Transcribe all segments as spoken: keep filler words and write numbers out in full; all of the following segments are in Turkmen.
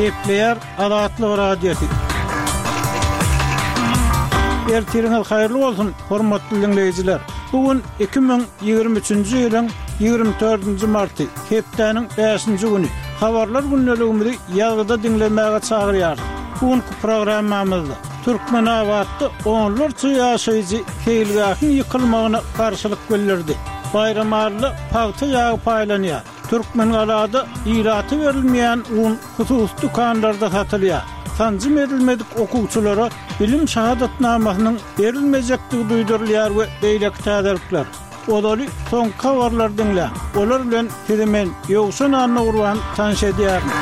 Gepleýär Azatlyk Radiosy. Ertiriňiz haýyrly bolsun, hormatly diňleýjiler! Bu gün iki müň ýigrimi üçünji ýylyň ýigrimi dördünji marty, hepdäniň bäşinji güni. Habarlar gündeligimizi ýazgyda diňlemäge çagyrýarys. Bu günki programmamyzda Türkmenabatda onlarça ýaşaýjy seýilgähiň ýykylmagyna garşylyk bildirdi. Baýramalyda pagta ýagy paýlanýar. Türkmengalada ilata berilmeýän un hususy dükanlarda satylýar. Sanjym edilmedik okuwçylara bilim şahadatnamasynyň berilmejekdigi duýdurylýar we beýleki täzelikler. Ozaly soňky habarlary diňläň. Olar bilen sizi men, Ýowşan Annagurban tanyş edýärin.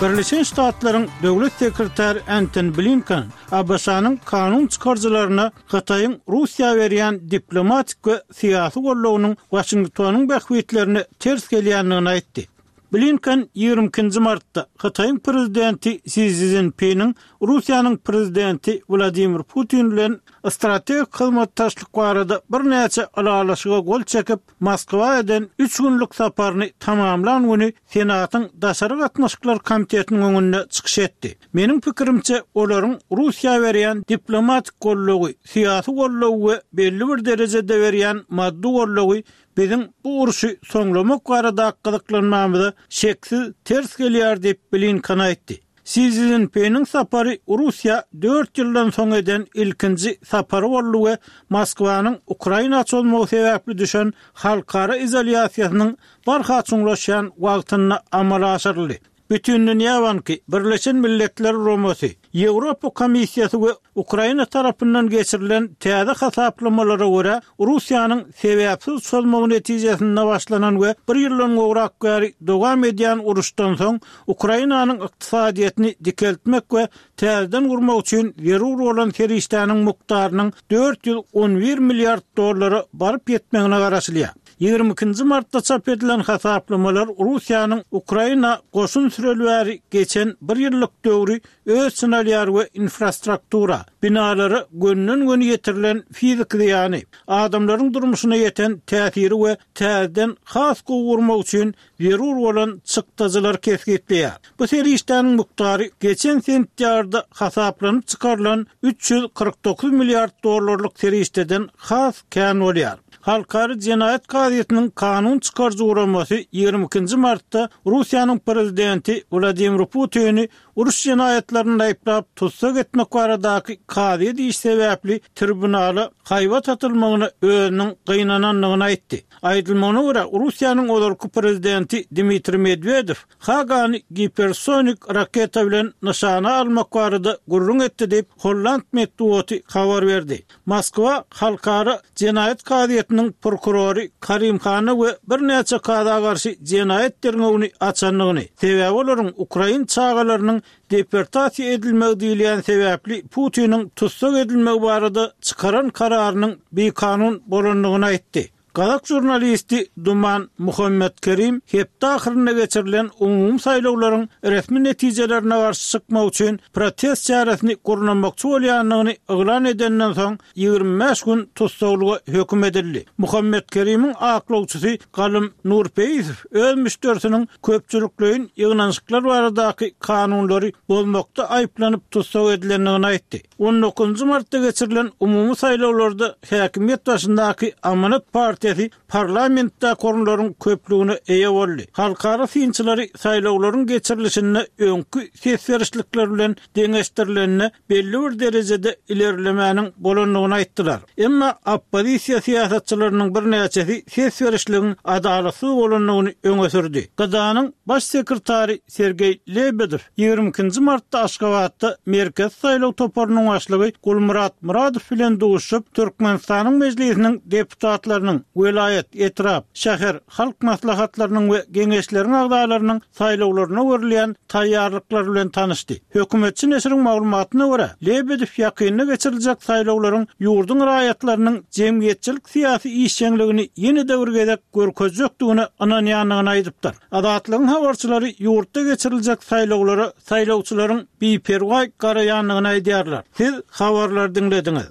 Birleşen Ştatlaryň Döwlet sekretary Entoni Blinken ABŞ-nyň kanun çykaryjylaryna Hytaýyň Russiýa berýän diplomatik we syýasy goldawynyň Waşingtonyň bähbitlerine ters gelýändigini aýtdy. Blinken ýigrimi ikinji martda Hytaýyň prezidenti Si Szinpiniň Russiýanyň prezidenti Wladimir Putin bilen strategik hyzmatdaşlyk barada birnäçe ylalaşyga gol çekip, Moskwa eden üç günlük saparyny tamamlan güni Senatyň Daşary gatnaşyklar komitetiniň öňünde çykyş etdi. Meniň pikirimçe, olaryň Russiýa berýän diplomatik goldawy, syýasy goldawy we belli bir derejede berýän maddy goldawy biziň bu urşy soňlamak baradaky gyzyklanmamyza şeksiz ters gelýär diýip, Blinken aýtdy. Si Szinpiniň sapary Russiýa dört ýyldan soň eden ilkinji sapary boldy we Moskwanyň Ukraina çozmagy sebäpli düşen halkara izolýasiýasynyň barha çuňlaşýan wagtynda amala aşyryldy. Bütindünýä banky, Birleşen Milletler Guramasy, Ýewropa Komissiýasy we Ukraina tarapyndan geçirilen täze hasaplamalara görä, Russiýanyň sebäpsiz çozmagy netijesinde başlanan we bir ýyldan gowrak bäri dowam edýän uruşdan soň Ukrainanyň ykdysadyýetini dikeltmek we täzeden gurmak üçin zerur bolan serişdäniň mukdarynyň dört ýüz on bir milliard dollara baryp ýetmegine garaşylýar. Ýigrimi ikinji martda çap edilen hasaplamalar Russiýanyň Ukraina goşun süreli bäri geçen bir ýyllyk döwri öz içine alýar we infrastruktura, binalara gönden-göni ýetirilen fiziki zyýany, adamlaryň durmuşyna ýeten täsiri we täzeden has gowy gurmak üçin zerur bolan çykdajylary kesgitleýär. Bu serişdäniň mukdary geçen sentýabrda hasaplanyp çykarylan üç ýüz kyrk dokuz milliard dollarlyk serişdeden has kän bolýar. Halkara jenaýat kazyýetiniň kanun çykaryjy guramasy ýigrimi ikinji martda Russiýanyň prezidenti Wladimir Putini uruş jenaýatlarynda aýyplap tussag etmek baradaky kazyýet işi sebäpli tribunala haýbat atylmagyna özüniň gynanandygyny aýtdy. Aýdylmagyna görä, Russiýanyň ozalky prezidenti Dmitriý Medwedew Hagany gipersonik raketa bilen nyşana almak barada gürrüň etdi diýip, holland metbugaty habar berdi. Moskwa Halkara jenaýat kazyýetiniň prokurory Karim Hana we birnäçe kaza garşy jenaýat derňewini açandygyny, sebäbi olaryň ukrain çagalarynyň deportasiýa edilmegi diýilýän sebäpli Putiniň tussag edilmegi barada çykaran kararynyň bikanun bolandygyny aýtdy. Gazak žurnalisti Duman Muhammetkerim hepde ahyrynda geçirilen umumy saýlawlaryň resmi netijelerine garşy çykmak üçin protest çäresini gurnamakçy bolýandygyny yglan edenden soň ýigrimi bäş gün tussaglyga höküm edildi. Muhammetkerimiň aklawçysy Galym Nurpeýisow öz müşderisiniň köpçülikleýin ýygnanyşyklar baradaky kanunlary bozmakda aýyplanyp tussag edilendigini aýtdy. On dokuzynjy martda geçirilen umumy saýlawlarda häkimiýet başyndaky Amanat partiýasy parlamentdäki orunlaryň köplügine eýe boldy. Halkara synçylary saýlawlaryň geçirilişinde öňki ses berişlikler bilen deňeşdirilende belli bir derejede ilerlemäniň bolandygyny aýtdylar. Emma oppozisiýa syýasatçylarynyň birnäçesi ses berişligiň adalatsyz bolandygyny öňe sürdi. G D A-nyň baş sekretary Sergeý Lebedew ýigrimi ikinji martda Aşgabatda Merkezi saýlaw toparynyň başlygy Gulmyrat Myradow bilen duşuşyp, Türkmenistanyň Mejlisiniň deputatlarynyň, welaýat, etrap, şäher, halk maslahatlarynyň we geňeşleriň agzalarynyň saýlawlaryna görülýän taýýarlyklar bilen tanyşdy. Hökümetçi neşiriň maglumatyna görä, Lebedew ýakynda geçiriljek saýlawlaryň ýurduň raýatlarynyň jemgyýetçilik syýasy işjeňligini ýene-de bir gezek görkezjekdigine ynanýandygyny aýdypdyr. Azatlygyň habarçylary ýurtda geçiriljek saýlawlara saýlawçylaryň biperwaý garaýandygyny aýdýarlar. Siz habarlary diňlediňiz.